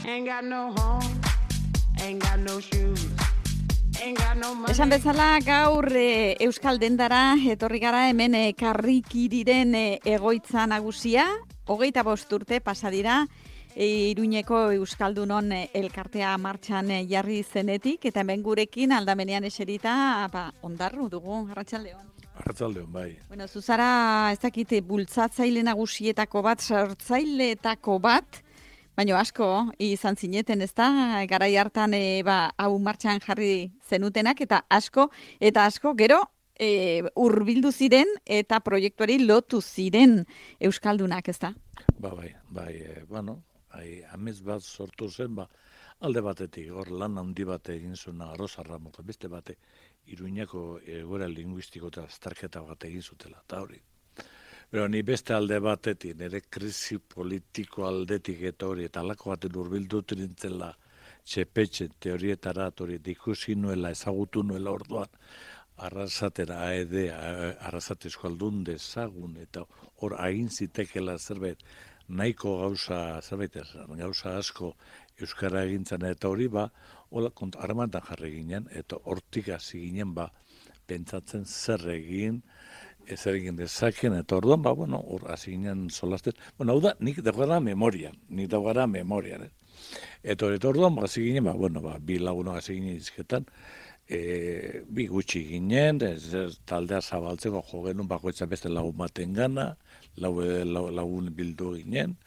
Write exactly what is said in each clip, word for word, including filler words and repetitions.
Ain't got no home, ain't got no shoes. Esan bezala gaur e, Euskal Dendara etorri gara hemen e, Karrikiriren e, egoitza nagusia, hogeita bost urte pasa dira e, Iruñeko Euskaldunon e, elkartea martxan e, jarri zenetik, eta hemen gurekin aldamenean eserita ba, ondarru dugu, arratsaldeon. Arratsaldeon, bai. Bueno, zuzara ez dakite bultzatzaile nagusietako bat, sortzaileetako bat, baina asko izan zineten, ez da, garai hartan e, ba, hau martxan jarri zenutenak, eta asko, eta asko, gero, e, hurbildu ziren, eta proiektuari lotu ziren Euskaldunak, ez da? Ba, bai, bai, e, bueno, hai, amez bat sortu zen, ba, alde batetik, hor lan handi bate egin zuena Rosa Ramos, beste bate, Iruñako egoera linguistiko eta azterketa bat egin zutela, eta hori. Pero ni beste alde batetik, nire krisi politiko aldetik eta hori, eta alako baten urbildu nintzela txepetxe teorietara, hori ikusi nuela, ezagutu nuela orduan, arrasatera aede, arrasate eskualdun dezagun, eta hor agin zitekela zerbait, nahiko gauza, zerbait ez, gauza asko euskara egintzen, eta hori ba, hola armatan jarri ginen, eta hortik hasi ginen ba, pentsatzen zer egin, zer egin dezaken, eta orduan, ba, bueno, hor hasi ginen solazten. Bueno, hau da, nik dagoara memorian, nik dagoara memorian, eh? Eta hori, orduan, ba, hasi ginen, ba, bueno, ba, bi lagunok hasi ginen izketan, e, bi gutxi ginen, ez, ez, taldea zabaltzeko jo genuen, bakoitza beste lagun baten gana, lau, lau, lagun bildu ginen,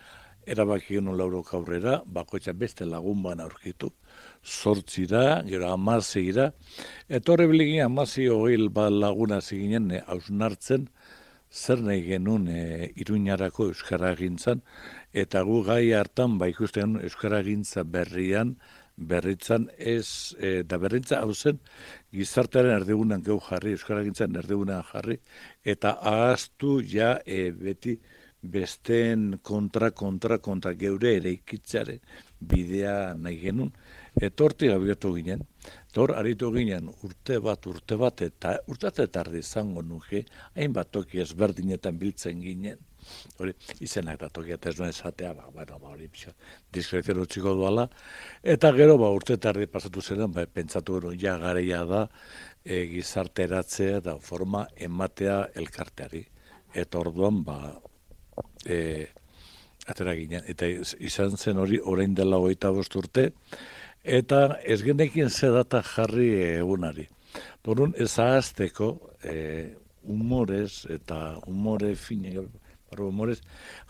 erabaki genuen laurok aurrera, bakoitza beste lagun bana aurkitu, zortzira, gero amazeira, eta horre biligin amazi hogei laguna ziginen hausnartzen, zer nahi genuen e, Iruñarako euskara gintzan, eta gu gai hartan ba ikusten euskara gintza berrian, berritzan ez, e, da berritza hau zen, gizartearen erdigunan geu jarri, euskara gintzan erdigunan jarri, eta ahaztu ja e, beti besteen kontra, kontra, kontra geure ere ikitzaren bidea nahi genuen, eta hortik abiatu ginen, eta hor aritu ginen urte bat, urte bat, eta urte tardi izango nuke, hainbat toki ezberdinetan biltzen ginen, hori izenak da tokia, eta ez duen esatea, ba, bueno, ba, hori pixo, diskrezion utziko duala, eta gero ba, urte tardi pasatu zeren, ba, pentsatu gero, ja gareia da, e, gizarteratzea da forma ematea elkarteari, eta orduan, ba, e, atera ginen, eta izan zen hori orain dela hogeita bost urte, eta ez genekin ze data jarri egunari. Dorun ez ahazteko e, humorez eta humore fine, humorez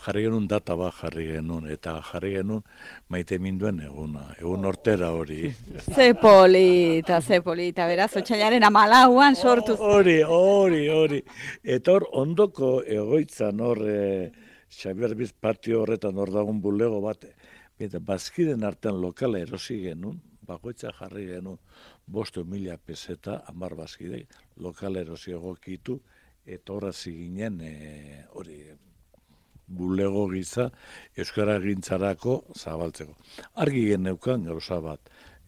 jarri genuen data bat jarri genuen, eta jarri genuen maite minduen eguna, egun hortera hori. Ze polita, ze polita, beraz, otsailaren hamalauan sortu. Hori, hori, hori. Eta hor ondoko egoitzan hor, e, Xabier Biz patio horretan hor dagun bulego bat, eta bazkiden artean lokala erosi genuen, bakoitza jarri genuen bosto mila peseta, hamar bazkidei, lokala erosi egokitu, eta horra ziginen hori bulego giza euskara gintzarako zabaltzeko. Argi geneukan gauza bat,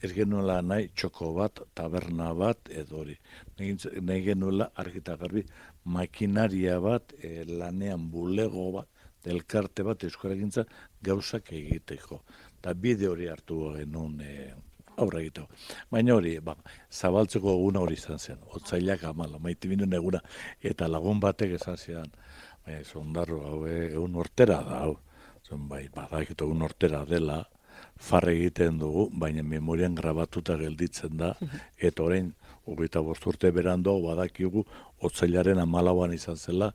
ez genuela nahi txoko bat, taberna bat, edo hori. Nahi genuela argita garbi makinaria bat, e, lanean bulego bat, elkarte bat euskara gintza gauzak egiteko. Eta bide hori hartu genuen e, aurra egiteko. Baina hori, ba, zabaltzeko eguna hori izan zen, otzailak amala, maite binen eguna, eta lagun batek esan zidan, baina zondarro, hau egun hortera da, hau, zon bai, badakito egun hortera dela, farre egiten dugu, baina memorian grabatuta gelditzen da, eta orain, hogeita bost urte berandu, badakigu, otzailaren amalauan izan zela,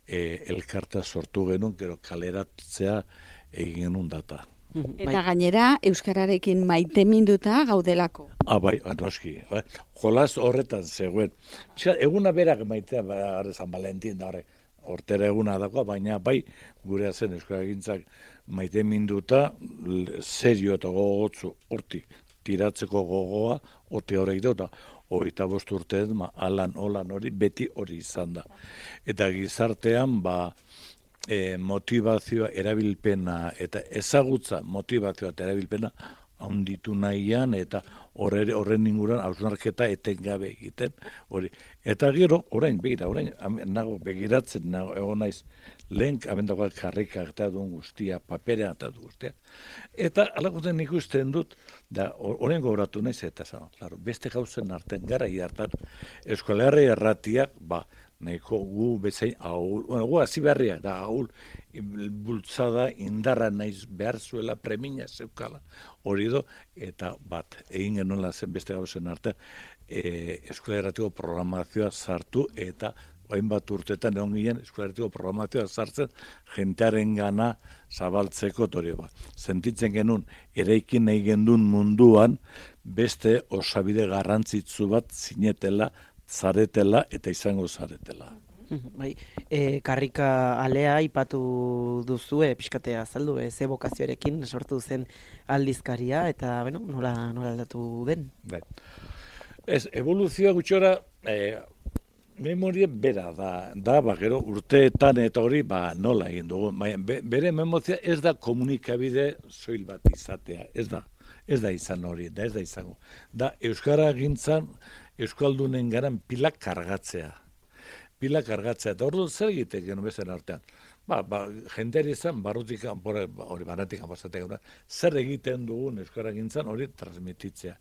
E, elkarta sortu genuen, gero kaleratzea egin genuen data. Eta gainera, euskararekin maite minduta gaudelako. Ah, bai, anoski. Bai. Jolaz horretan zegoen. Eguna berak maitea, ba, San Valentin da, hortera eguna dagoa, baina bai, gure zen euskaragintzak maite minduta, serio eta gogotzu hortik tiratzeko gogoa, horti horrek dauta. Hogeita bost urtean, ma, alan, holan hori, beti hori izan da. Eta gizartean, ba, e, motivazioa, erabilpena, eta ezagutza motivazioa eta erabilpena handitu nahian, eta horre, horren inguruan hausnarketa etengabe egiten. Hori. Eta gero, orain, begira, orain, nago begiratzen, nago, egon naiz, lehen abendakoak karrika eta duen guztia, paperea eta duen guztia. Eta alakoten ikusten dut, da horren gogoratu naiz eta zan, claro, beste gauzen artean gara hartan Euskal Herria erratiak, ba, nahiko gu bezain ahul, bueno, gu hasi berriak da ahul, bultzada indarra naiz behar zuela premina zeukala hori do, eta bat, egin genuela zen beste gauzen artean, e, Euskal Herratiko programazioa sartu eta hainbat urtetan egon ginen Euskal Herratiko programazioa sartzen jentearen gana zabaltzeko hori bat. Sentitzen genuen, eraikin nahi gendun munduan beste osabide garrantzitsu bat zinetela, zaretela eta izango zaretela. Bai, e, karrika alea ipatu duzue, pixkatea azaldu, e, ze bokazioarekin sortu zen aldizkaria, eta bueno, nola, nola aldatu den? Bai. Ez, evoluzioa gutxora, e, memoria bera da, da, ba, gero urteetan eta hori, ba, nola egin dugu. Be, bere memoria ez da komunikabide soil bat izatea, ez da, ez da izan hori, da ez da izango. Da, euskara gintzan, euskaldunen garan pilak kargatzea. Pilak kargatzea, eta hori zer egiten genuen bezen artean. Ba, ba, jendeari izan, barrutik, hori baratik pasatek, zer egiten dugun euskara gintzan hori transmititzea.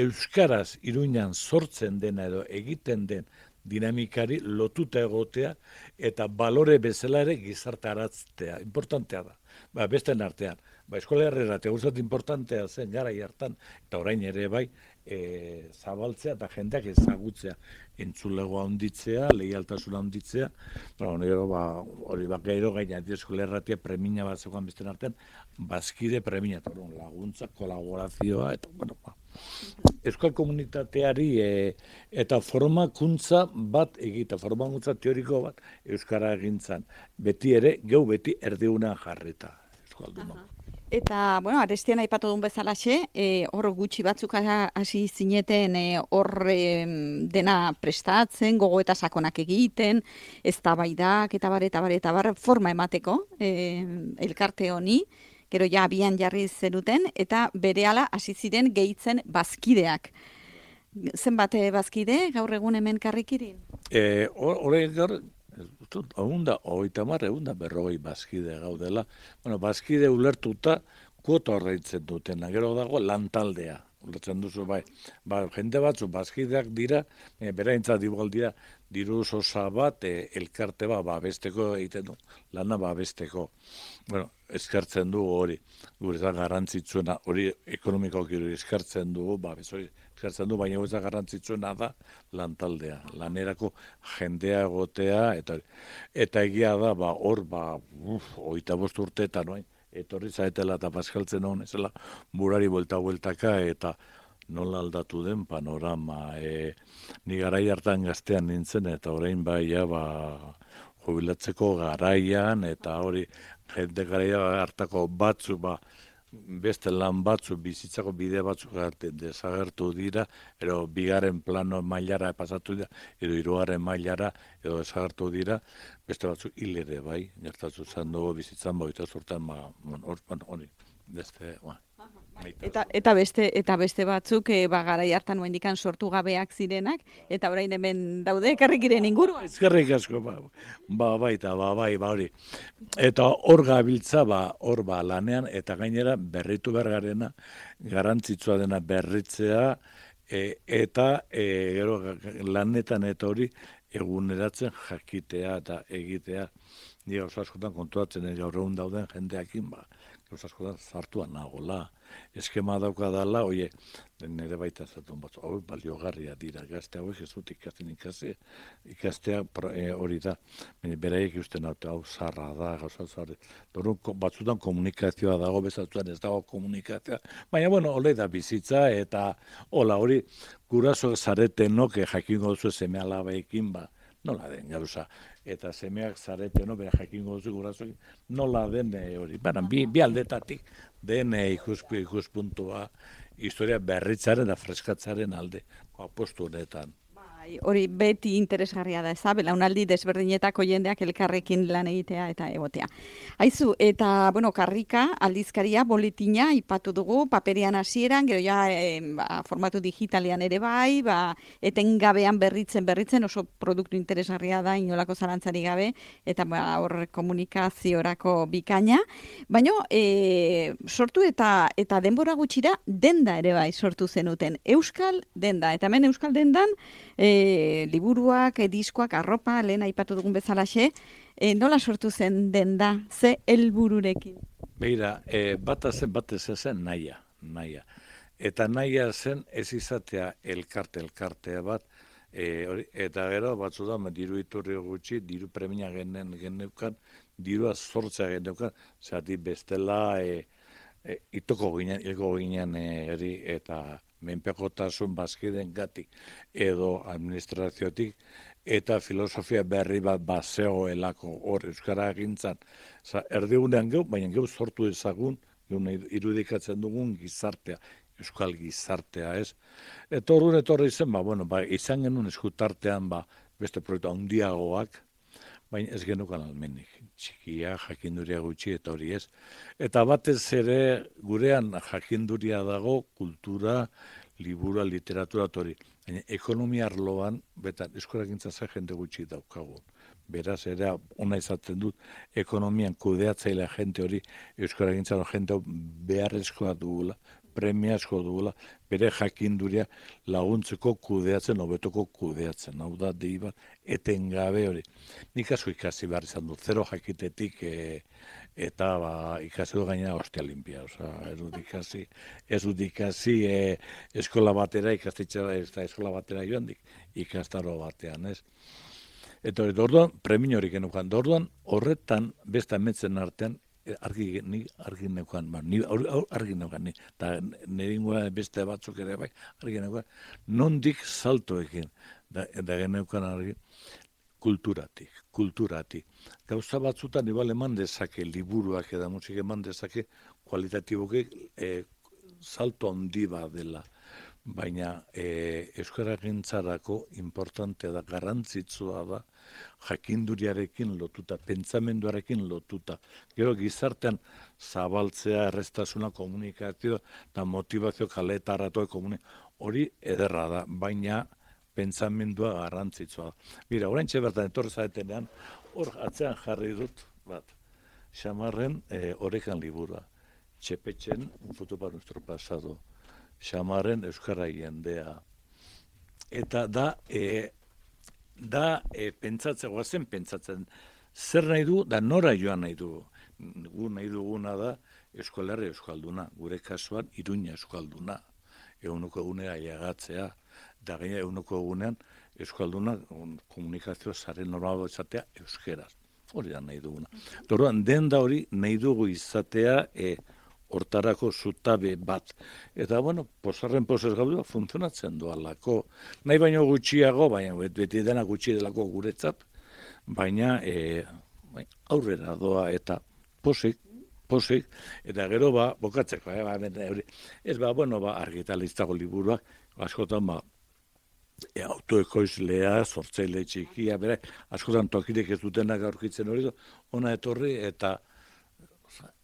Euskaraz Iruñan sortzen dena edo egiten den dinamikari lotuta egotea eta balore bezala ere gizartaratzea. Importantea da. Ba, besten artean. Ba, Eskola Herrera teguzat importantea zen gara hartan eta orain ere bai e, zabaltzea eta jendeak ezagutzea. Entzulegoa handitzea, leialtasuna handitzea. Ba, gero, ba, hori ba, gero gaina Eskola Herratia premina bat zegoan besten artean, bazkide premina, eta laguntza, kolaborazioa, eta, bueno, ba, euskal komunitateari e, eta formakuntza bat egita, formakuntza teoriko bat euskara egintzan. Beti ere, geu beti erdiunean jarrita euskalduna. Eta, bueno, Arestian aipatu duen bezalaxe, e, hor gutxi batzuk hasi zineten e, hor e, dena prestatzen, gogo eta sakonak egiten, eztabaidak eta bar, eta bar, eta bar, forma emateko e, elkarte honi, gero ja abian jarri zenuten, eta berehala hasi ziren gehitzen bazkideak. Zenbat bazkide gaur egun hemen karrikirin? E, Hore gaur, egun da, hogeita hamar, egun da berrogei bazkide gaudela. Bueno, bazkide ulertuta kuota horreitzen dutena, gero dago lantaldea. Ulertzen duzu, bai, ba, jende batzu bazkideak dira, e, beraintzat igual dira, diru sosa bat, e, elkarte bat, babesteko egiten du, lana babesteko. Bueno, eskartzen dugu hori, gure da garrantzitsuena, hori ekonomikoak eskartzen dugu, babes hori eskartzen du, baina ez da garrantzitsuena da lantaldea, lanerako jendea egotea, eta eta egia da, ba, hor, ba, uf, oita bost urteetan, noin, etorri zaetela eta paskaltzen hon, ezela, burari buelta-bueltaka, eta nola aldatu den panorama. E, ni garai hartan gaztean nintzen, eta orain bai, ja, ba, jubilatzeko garaian, eta hori, jende garaia hartako batzu, ba, beste lan batzu, bizitzako bide batzu desagertu dira, edo bigaren plano mailara pasatu dira, edo hirugarren mailara, edo desagertu dira, beste batzu hil ere bai, gertatu zen dugu bizitzan boita zurtan, hori, beste, ba. Eta, eta, beste, eta beste batzuk e, ba, garai hartan oendikan sortu gabeak zirenak, eta orain hemen daude karrikiren inguruan. Eskerrik asko, ba, ba, baita, ba, bai, ba, hori. Eta hor gabiltza, ba, hor ba, lanean, eta gainera berritu bergarena, garrantzitsua dena berritzea, e, eta e, gero lanetan eta hori eguneratzen jakitea eta egitea. Ni gauza askotan kontuatzen gaur egun dauden jendeakin, ba, gauza askotan zartuan nagola. Eskema dauka dala, oie, nire baita zatun batzu, hau baliogarria dira, gazte hauek ez dut ikasten ikasi, ikastea e, hori da, beraiek usten hau, hau zarra da, gauza zarra, batzutan komunikazioa dago, bezatuan ez dago komunikazioa, baina, bueno, hole da bizitza, eta hola, hori, guraso zaretenok jakingo duzu seme alabeekin, ba, nola den gauza, eta semeak zareteno, bera jakingo duzu gurasoekin, nola den hori, baina, bi, bi aldetatik, den ikuspu ikuspuntua historia berritzaren da freskatzaren alde apostu honetan. Hori beti interesgarria da, eza, belaunaldi desberdinetako jendeak elkarrekin lan egitea eta egotea. Aizu, eta, bueno, karrika, aldizkaria, boletina, ipatu dugu, paperian hasieran, gero ja, e, ba, formatu digitalian ere bai, ba, etengabean berritzen, berritzen, oso produktu interesgarria da, inolako zalantzari gabe, eta ba, hor komunikaziorako bikaina. Baina, e, sortu eta eta denbora gutxira, denda ere bai sortu zenuten. Euskal denda, eta hemen Euskal dendan, E, liburuak, e, diskoak, arropa, lehen aipatu dugun bezalaxe, e, nola sortu zen denda, ze helbururekin? Beira, e, bat zen, bat ez zen naia, naia. Eta naia zen ez izatea elkarte, elkartea bat, e, hori, eta gero batzu da, diru iturri gutxi, diru premia genen geneukan, dirua sortzea geneukan, zati bestela e, e, itoko ginen, hilko ginen e, eri, eta menpekotasun bazkiden gatik edo administraziotik eta filosofia berri bat bazegoelako hor euskara egintzan. Erdigunean geu, baina geu sortu ezagun, geu irudikatzen dugun gizartea, euskal gizartea, ez? Eta horren etorri zen, ba, bueno, ba, izan genuen eskutartean, ba, beste proiektu handiagoak, baina ez genukan almenik, txikia, jakinduria gutxi eta hori ez. Eta batez ere gurean jakinduria dago, kultura, libura, literatura, hori. Baina ekonomia arloan, betan eskolagintza za jende gutxi daukagu. Beraz, ere, ona izaten dut, ekonomian kudeatzailea jente hori, eskolagintza jente beharrezkoa dugula, premiazko dugula, bere jakinduria laguntzeko kudeatzen, hobetoko kudeatzen. Hau da, dei bat, etengabe hori. Nik asko ikasi behar izan dut, zero jakitetik e, eta ba, ikasi du gainera hostia limpia. Osa, ez dut ikasi, ez dut ikasi e, eskola batera, ikastitxera ez da eskola batera joan dik, ikastaro batean, ez? Eta hori, orduan, premin hori genukan, orduan, horretan, besta emetzen artean, argi ni argi neukan, ba, ni argi neukan ni, eta neringoa beste batzuk ere bai, argi neukan, nondik saltoekin, da, da geneukan argi, kulturatik, kulturatik. Gauza batzutan igual eman dezake, liburuak eta musik eman dezake, kualitatiboke e, salto handi bat dela. Baina e, euskaragintzarako importante da, garrantzitsua da, jakinduriarekin lotuta, pentsamenduarekin lotuta. Gero gizartean zabaltzea, errestasuna, komunikazio eta motivazio kaletaratoa komunikazio. Hori ederra da, baina pentsamendua garrantzitsua da. Mira, orain bertan etorri zaetenean, hor atzean jarri dut, bat, Xamarren e, orekan liburua, Txepetxen, un foto para nuestro pasado, Xamarren euskara jendea. Eta da, e, da e, pentsatzen, guazen pentsatzen, zer nahi du, da nora joan nahi du. Gu nahi duguna da Euskolarri euskalduna, gure kasuan Iruña euskalduna. Eguneko egunera jagatzea, da gaina eguneko egunean euskalduna komunikazio zaren normal izatea euskeraz. Hori da nahi duguna. Dorduan, den da hori nahi dugu izatea e, hortarako zutabe bat. Eta, bueno, posarren posez gaudu, funtzionatzen doalako. Nahi baino gutxiago, baina beti dena gutxi delako guretzat, baina e, aurrera doa eta posik, posik, eta gero ba, bokatzeko, eh, ba, ez ba, bueno, ba, argitalistako liburuak, askotan ba, e, autoekoizlea, sortzaile txikia, bere, askotan tokirek ez dutenak aurkitzen hori, ona etorri eta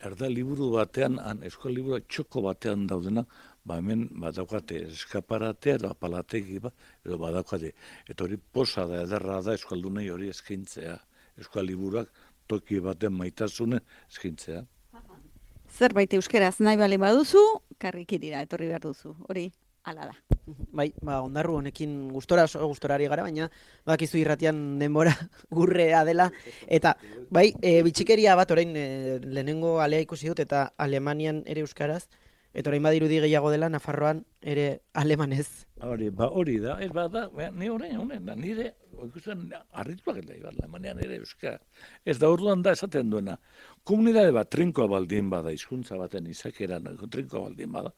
erda liburu batean, han, eskola liburu txoko batean daudena, ba hemen badaukate eskaparatea edo apalategi bat, edo badaukate. Eta hori posa da, ederra da euskaldunei hori eskintzea. Eskola liburuak toki baten maitasunen eskintzea. Zerbait euskeraz nahi bale baduzu, karrikirira etorri behar duzu. Hori, hala da. Bai, ba, ondarru honekin gustora, gustorari gara, baina bakizu irratian denbora gurrea dela. Eta, bai, e, bitxikeria bat orain e, lehenengo alea ikusi dut, eta Alemanian ere euskaraz, eta orain badirudi gehiago dela, Nafarroan ere alemanez. Hori, ba, hori da, ez ba, da, ni orain, honen, da, nire, ikusten, arrituak eta ibar, Alemanian ere euskara. Ez da, orduan da, esaten duena, komunidade bat trinkoa baldin bada, hizkuntza baten izakeran, trinkoa baldin bada,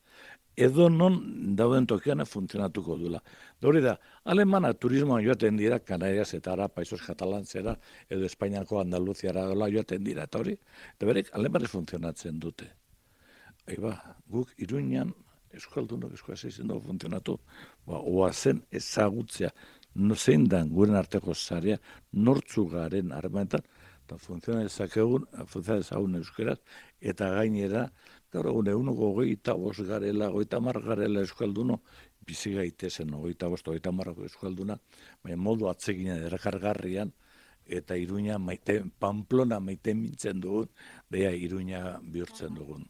edo non dauden tokiana funtzionatuko duela. Hori da, alemana turismoan joaten dira, Kanarias eta ara, Paisos Katalantzera, edo Espainiako Andaluziara dola joaten dira, eta hori, eta berek alemanez funtzionatzen dute. Eba, guk Iruñan, euskaldunok euskal zeizen dugu funtzionatu, ba, oazen ezagutzea, no, zein dan guren arteko zarea, nortzu garen harremanetan, eta funtziona ezakegun, funtziona ezagun euskeraz, eta gainera, gaur egun eguneko hogeita bost garela, hogeita mar garela euskalduno, bizi gaitezen, hogeita bost, hogeita marrako euskalduna, baina modu atsegina erakargarrian, eta Iruña maite, Pamplona maite mintzen dugun, beha Iruña bihurtzen dugun.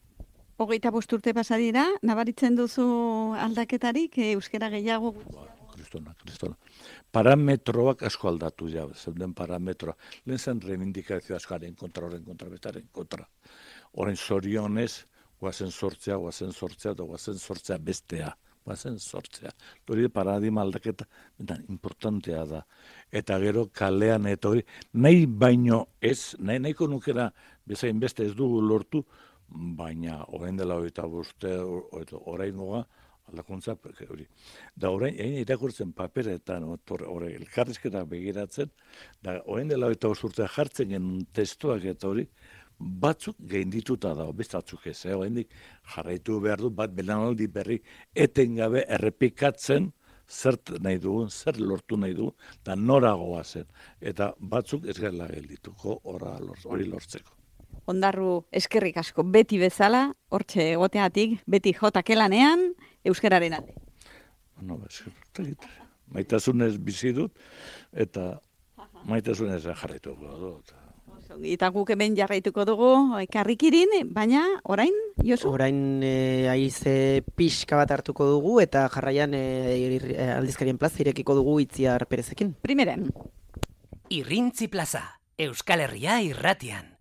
Hogeita bost urte pasa dira, nabaritzen duzu aldaketarik, euskara gehiago? Ba, kristona, kristona. Parametroak asko aldatu ja, zeuden parametroa. Lehen zen reivindikazio askaren kontra, horren kontra, bestaren kontra. Horren zorionez, guazen sortzea, guazen sortzea, eta guazen sortzea bestea. Guazen sortzea. Hori paradigma aldaketa importantea da. Eta gero kalean eta hori, nahi baino ez, nahi nahiko nukera bezain beste ez dugu lortu, baina orain dela hogeita boste, oraingoa aldakuntza hori. Da orain, egin irakurtzen paperetan, hori elkarrizketa begiratzen, da orain dela hogeita bost urtea jartzen genuen testuak eta hori, batzuk gaindituta dago, bestatzuk ez, eh? Oraindik jarraitu behar du, bat belanaldi berri etengabe errepikatzen zert nahi dugun, zer lortu nahi dugun, eta noragoa zen. Eta batzuk ez gela geldituko hori lortzeko. Ondarru, eskerrik asko, beti bezala, hortxe egoteatik, beti jotakelanean, euskararen alde. No, eskerrik, maitasunez bizi dut, eta maitasunez jarraituko dut. Eta guk hemen jarraituko dugu Karrikirin, baina orain, Josu? Orain e, aize pixka bat hartuko dugu, eta jarraian e, aldizkarien plaza irekiko dugu Itziar Perezekin. Primeren. Irrintzi plaza, Euskal Herria irratian.